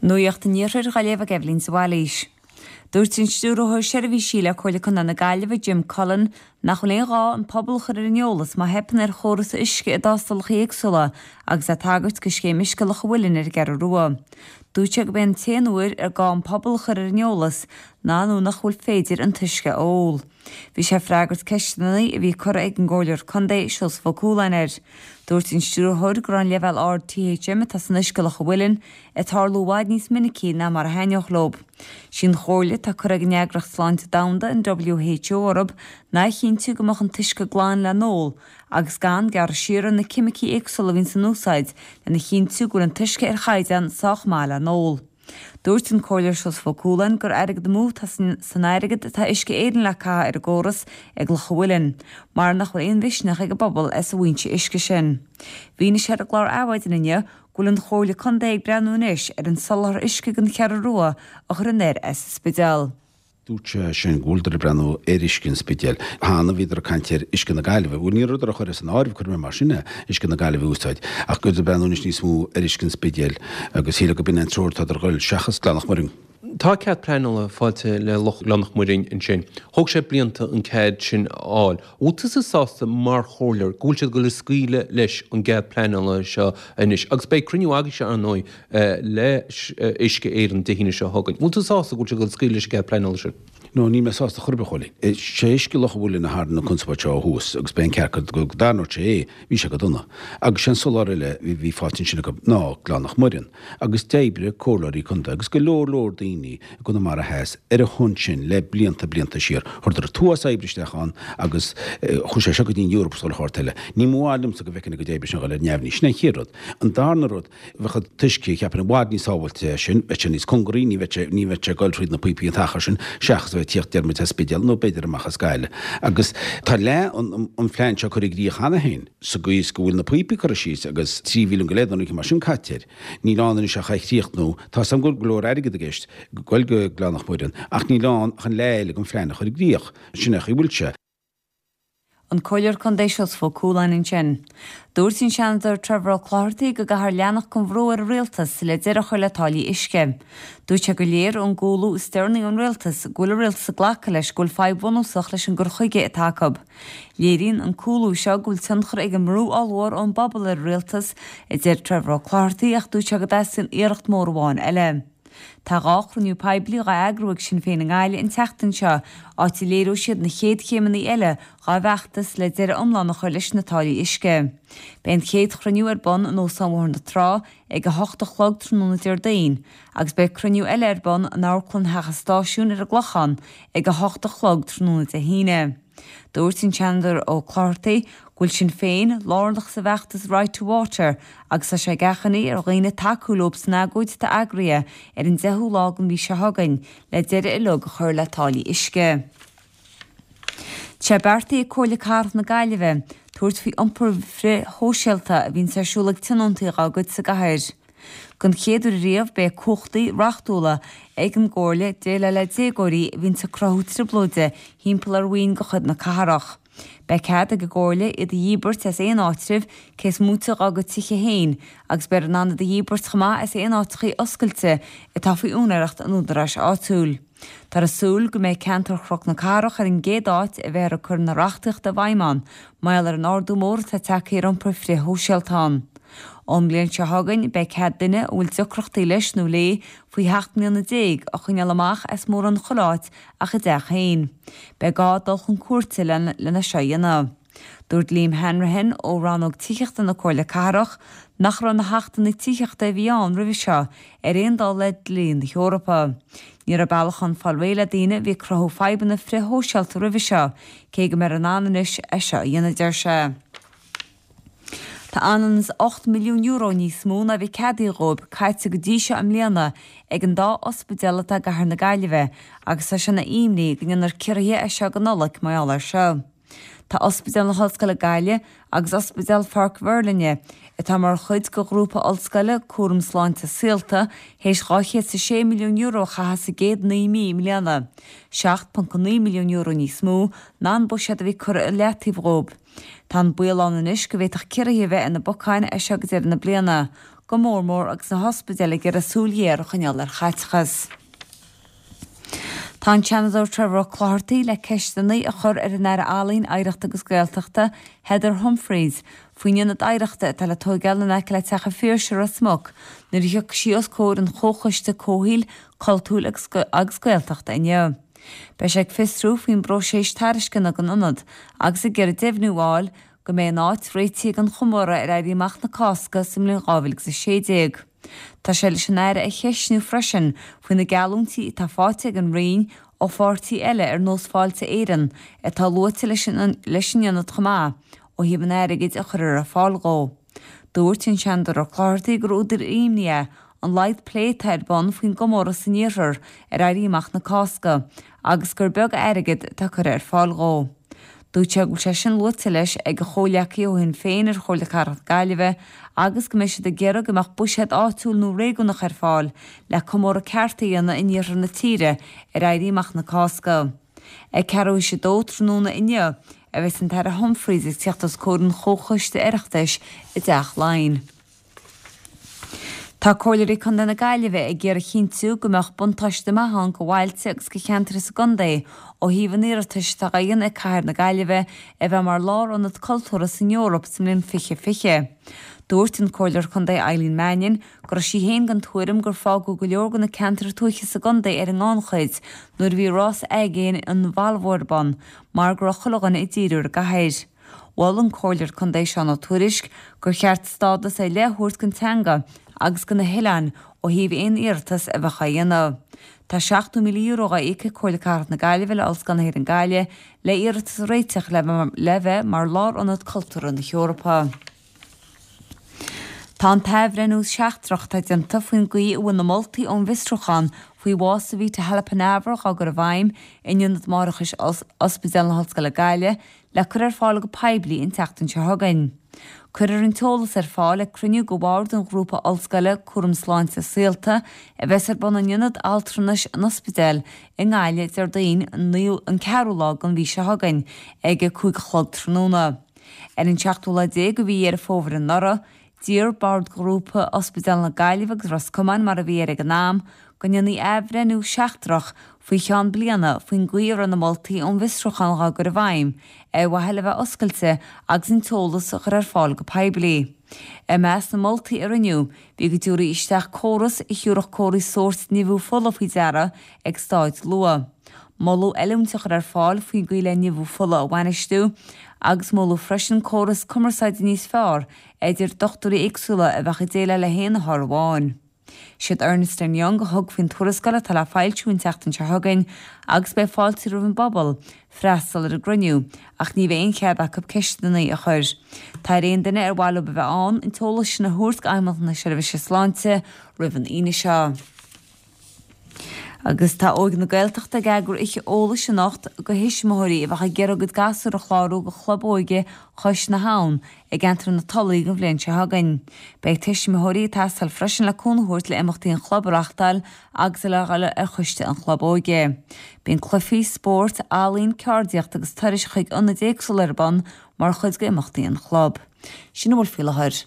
Nuacht an Iarthair á léamh ag Eibhlín de Bhailís. Dúirt an Stiúrthóir Seirbhísí le Comhairle Contae na Gaillimhe, Jim Cullen, nach bhfuil aon ghá an pobal a chur ar an eolas má theipeann ar chóras uisce i dtástálacha éagsúla agus é ag tagairt do scéim Uisce Loch an Mhuilinn ar an gCeathrú Rua. Dúirt sé gurb é an t-aon uair ar gá an pobal a chur ar an eolas ná nuair nach bhfuil féidir an t-uisce a ól. Bhí sé ag freagairt ceisteanna a bhí curtha ag an gComhairleoir Contae, Seosamh Ó Cualáin air. Dúirt an Stiúrthóir go raibh an leibhéal ard THM atá san uisce i Loch an Mhuilinn ag tarlú i bhfad níos minicí ná mar a thaitneodh leo. Sí an chomhairle atá curtha ag an Eagraíocht Sláinte Domhanda, an WHO, orthu ná a chinntiú go mbeadh an t-uisce glan le n-ól agus gan gearradh siar ar na ceimicí éagsúla a bhíonns in úsáid lena chinntiú go bhfuil an t-uisce ar chaighdeán sách maith le n-ól. Dúirt an Comhairleoir Seosamh Ó Cualáin gur airgead amú atá san airgead atá Uisce Éireann le caitheamh ar an gcóras ag Loch an Mhuilinn, mar nach bhfuil aon mhisneach ag an bpobal as an bhfoinse uisce sin. Mhínigh sé ar an gclár Adhmhaidin inniu go bhfuil an Chomhairle Contae ag breathnú anois ar an soláthar uisce don Cheathrú Rua a chur anoir as an Spidéal. Dúirt sé sin go bhfuileadar ag breathnú ar uisce an Spidéil. Cheana bhíodar ag caint ar uisce na Gaillimhe. Bhuel, ní rabhadar ag cur as an áireamh, cuirfidh mé mar sin é, uisce na Gaillimhe a úsáid, ach go bhfuileadar ag breathnú anois níos mó ar uisce an Spidéil agus shílfeá go b'in an treoir atádar ag goil seachas Gleann Loch Muirinn. Tá cead pleanála faighte le Loch Ghleann Loch Muirinn ansin. Thóg sé blianta an cead sin a fháil. Bhfuil tusa sásta mar chomhairleoir go bhfuil siad ag dul ag scaoileadh leis an gcead pleanála seo anois? Agus beidh cruinniú agaibhse, ar ndóigh, le Uisce Éireann Dé hAoine seo chugainn. Bhfuil tú sásta go bhfuil siad ag dul ag scaoileadh leis an gcead pleanála sin? No, níl mé sásta chor ar bith, a Chóilín. Is é uisce Loch an Mhuilinn a tharraing an conspóid seo ó thús agus b'é an ceart go dtarraingeodh sé é, bhí sé go dona. Agus sé an soláthar eile a bhí faighte ansin acu ná Gleann Loch Muireann. Agus d'oibrigh comhairleoirí contae agus go leor leor daoine i gConamara Theas ar a shon sin le blianta blianta siar. Chuireadar an t-uafás oibre isteach ann agus chuaigh sé seo go dtí an Eoraip agus chuile shórt eile. Ní mba mhaith liomsa go bhfeicfinn a gcuid oibre sin a dhul ar neamhní. Sin an chéad rud. An darna rud, bheadh an t-uisce, cheapfainn, i bhfad níos sábháilte sin, bheadh sé níos cóngaraí, ní bheadh sé, ní bheadh sé ag dul thríd na píopaí an t-achar sin, seachas a bheith ag tíocht, deir muid, as Spidéal nó b'fhéidir amach as Gaillimh. Agus tá leath an, an phlean seo curtha i gcrích cheana féin, sa gcaoi is go bhfuil na píopaí curtha síos agus 3 mhilliún go leith nó rud mar sin caite air. Níl ann anois ach é a chríochnú. Tá 'fhios a'm go bhfuil go leor airgid i gceist, ag goil go Gleann Loch Muireann, ach níl ann ach an leath eile den phlean a chur i gcrích. Sin é an chaoi a bhfuil sé. An Comhairleoir Contae Seosamh Ó Cualáin ansin. Dúirt an Seanadóir Trevor Ó Clochartaigh go gcaithfear leanacht den bhrú ar an Rialtas le deireadh a chur le táillí uisce. Dúirt sé gur léir ón gcúlú is deireanaí ón Rialtas go bhfuil an Rialtas ag glacadh leis go bhfuil fadhb bhunúsach leis an gcur chuige atá acu. Léiríonn an cúlú seo go bhfuil tionchar ag an mbrú ollmhór ón bpobal ar an Rialtas, a deir Trevor Ó Clochartaigh ach dúirt sé go dteastaíonn iarracht mhór amháin eile. Tá 2 chruinniú poiblí dhá eagrú ag Sinn Féin i nGaillimh an tseachtain seo, áit a léireoidh siad na chéad chéimeanna eile dhá bhfeachtas le deireadh iomlán a chur leis na táillí uisce. Beidh an chéad chruinniú ar bun in Óstán Bhóthar na Trá ag 8 a chlog tráthnóna Déardaoin agus beidh cruinniú eile ar bun in Amharclann Theach an Stáisiúin ar an gClochán ag 8 a chlog tráthnóna Dé hAoine. Dúirt an Seanadóir Ó Clochartaigh go bhfuil Sinn Féin lárnach sa bhfeachtas Right to Water agus tá sé ag achainí ar dhaoine tacú leo san agóid atá eagraithe ar an 10ú lá den mhí seo chugainn le deireadh uilig a chur le táillí uisce. Tá sé beartaithe ag Comhairle Cathrach na Gaillimhe tabhairt faoi iompar frith-shóisialta a bhíonns ar siúl ag tionóntaí dá gcuid sa gcathair. Don chéad uair riamh beidh cumhachtaí reachtúla ag an gComhairle déileáil le déagóirí a bhíonns ag cruthú trioblóide thimpeall ar mhaoin de chuid na cathrach. Beidh cead ag an gComhairle iad a dhíbirt as aon áitreabh cé is móite dhá gcuid tithe féin agus beifear in ann iad a dhíbirt chomh maith as aon áiteachaí oscailte atá faoi úinéireacht an údaráis áitiúil. Táthar ag súil go mbeidh ceantar Chnoc na Cathrach ar an gcéad áit a bheifear ag cur na reachtaíochta i bhfeidhm ann, mar gheall ar an ardú mór atá tagtha ar iompar frith-shóisialta ann. Ón mbliain seo chugainn, beidh cead duine a bhfuil deacrachtaí leis nó léi faoi sheacht mbliana déag a choinneáil amach as mórán chuile áit ach a dteach féin. Beidh gá dul chun cúirte lena seo a dhéanamh. Dúirt Liam Hanrahan ó Rannóg Tithíochta na Comhairle Cathrach nach raibh na hachtanna tithíochta a bhí ann roimhe seo ar aon dul le dlí na hEorpa. Ní raibh bealach ann fáil réidh le daoine a bhí ag cruthú fadhbanna frith-shóisialta roimhe seo, cé go mbeifear in ann anois é seo a dhéanamh, deir sé. Tá ionann is €8 milliún níos mó ná a bhí ceadaithe dhóibh caite go dtí seo i mbliana ag an dá ospidéal atá i gcathair na Gaillimhe agus tá sé ina imní go ndéanfar ciorruithe as seo go Nollaig mar gheall air seo. Tá Ospidéal na hOllscoile Gaillimh agus Ospidéal Pháirc Mhuirlinne, atá mar chuid de ghrúpa ollscoile Cúram Sláinte Saolta, théis €206 milliún a chaitheamh sa gcéad 9 mí i mbliana, €7.9 milliún níos mó ná an buiséad a bhí curtha i leataobh dhóibh. Tá an baol ann anois go bhféadfadh ciorruithe a bheith ar na bacáin as seo go deireadh na bliana. go mór mór agus na hospidéil ag iarraidh súil ghéar a choinneáil ar chaiteachas. Tá an Seanadóir Trevor Ó Clochartaigh le ceisteanna a chur ar an Aire Ealaíon, Oidhreachta agus Gaeltachta, Heather Humphreys, faoin ionad oidhreachta atá le tóigeáil in aice le Teach an Phiarsaigh i Ros Muc nuair a thiocfaidh sí os comhair an Chomhchoiste Comhshaoil, Cultúir agus Gaeltachta inniu. Beidh sé ag fiosrú faoin bpróiseas tairisceana don ionad agus ag iarraidh deimhniú a fháil go mbeidh an áit réitithe don chomóradh ar Éirí Amach na Cásca sa mbliain 2016. Tá sé leis an Aire a cheistniú freisin faoi na geallúintí atá faighte ag an Roinn ó pháirtí eile ar nós Fáilte Éireann, atá luaite leis an ionad chomh maith, ó thaobh an airgid a chuirfear ar fáil dhó. Dúirt an Seanadóir Ó Clochartaigh gur údar imní é an laghad plé atá ar bun faoin gcomóradh san iarthar ar Éirí Amach na Cásca agus gur beag airgead atá curtha ar fáil dhó. Dúirt sé go bhfuil sé sin luaite leis ag a chomhghleacaithe ó Shinn Féin ar Chomhairle Cathrach na Gaillimhe agus go mbeidh siad ag iarraidh go mbeadh buiséad áitiúil nó réigiúnach ar fáil le comóradh ceart a dhéanamh in iarthar na tíre ar Éirí Amach na Cásca. Ag ceathrú théis a dó tráthnóna inniu a bheas an tAire Humphreys ag tíocht os comhair an Chomhchoiste Oireachtais i dTeach Laighean. Tá Comhairleoirí Contae na Gaillimhe ag iarraidh a chinntiú go mbeadh buntáiste maith ann go bhailte agus go cheantair sa gcontae ó thaobh an iarratais atá á dhéanamh ag Cathair na Gaillimhe a bheith mar lárionad cultúrtha san Eoraip sa mbliain 2020. Dúirt an Comhairleoir Contae Eileen Mannion go raibh sí féin den tuairim gur fágadh go leor de na ceantair tuaithe sa gcontae ar an ngannchuid nuair a bhí rás aigéin an Volvo ar bun mar go raibh chuile dhuine ag díriú ar an gcathair. Mhol an Comhairleoir Contae Seán Ó Tuairisg gur cheart stádas ar leith a thabhairt don teanga agus do na hoileáin ó thaobh aon iarratas a bheadh á dhéanamh. Tá €70,000 á íoc ag Comhairle Cathrach na Gaillimhe le Ollscoil na hÉireann Gaillimh le iarratas a réiteach le bheith mar lárionad cultúrtha na hEorpa. Tá an t-athbhreithniú seachtrach atá déanta faoin gcaoi a bhfuil na moltaí ón bhfiosrúchán faoi bhás Savita Halappanavar á gcur i bhfeidhm in Ionad Máithreachais Ospidéal na hOllscoile Gaillimh le cur ar fáil go poiblí an tseachtain seo chugainn. Cuirfear an t-eolas ar fáil ag cruinniú de bhord an Ghrúpa Ollscoile Cúram Sláinte Saolta a bheas ar bun in Ionad Altranais an Ospidéil i nGaillimh Déardaoin an ceathrú lá den mhí seo chugainn ag a 5 a chlog tráthnóna. Ar an seachtú lá déag de mhí Dheireadh Fómhair anuraidh, d'iarr Bord Ghrúpa Ospidéal na Gaillimhe agus Ros Comáin, mar a bhí air ag an am, go ndéanfaí athbhreithniú seachtrach faoi cheann bliana faoin gcaoi a raibh na moltaí ón bhfiosrúchán á gcur i bhfeidhm, ar mhaithe le bheith oscailte agus an t-eolas a chur ar fáil go poiblí. I measc na moltaí a rinneadh, bhí go dtabharfaí isteach córas a thiúrfadh comharthaí sóirt nimhiú fola faoi deara ag staid luath. Moladh oiliúint a chur ar fáil faoin gcaoi le nimhiú fola a bhainistiú agus moladh freisin córas cumarsáide níos fearr idir dochtúirí éagsúla a bheadh ag déileáil le haon othar amháin. Siad Ernst and Young a thug faoin tuarascáil atá le foilsiú an tseachtain seo chugainn agus beidh fáilte roimh an bpobal freastal ar an gcruinniú ach ní bheidh aon chead acu ceisteanna a chur. Tá ar aon duine ar mhaith leo a bheith ann an t-eolas sin a thabhairt go Fheidhmeannacht na Seirbhíse Sláinte roimh an Aoine seo. Agus tá Óige na Gaeltachta ag eagrú oíche eolais anocht do thuismitheoirí a bheadh ag iarraidh a gcuid gasúr a chlárú do Chlub Óige Chois na hAbhann i gceantar na Tulaí don bhliain seo chugainn. Beidh tuismitheoirí ag teastáil freisin le cúnamh a thabhairt le imeachtaí an chlub a reachtáil agus le dhul ar choiste an chlub óige. Bíonn cluichí, spórt, ealaín, ceardaíocht agus turais chuig ionaid éagsúla ar bun mar chuid d'imeachtaí an chlub. Sin a bhfuil faoi láthair.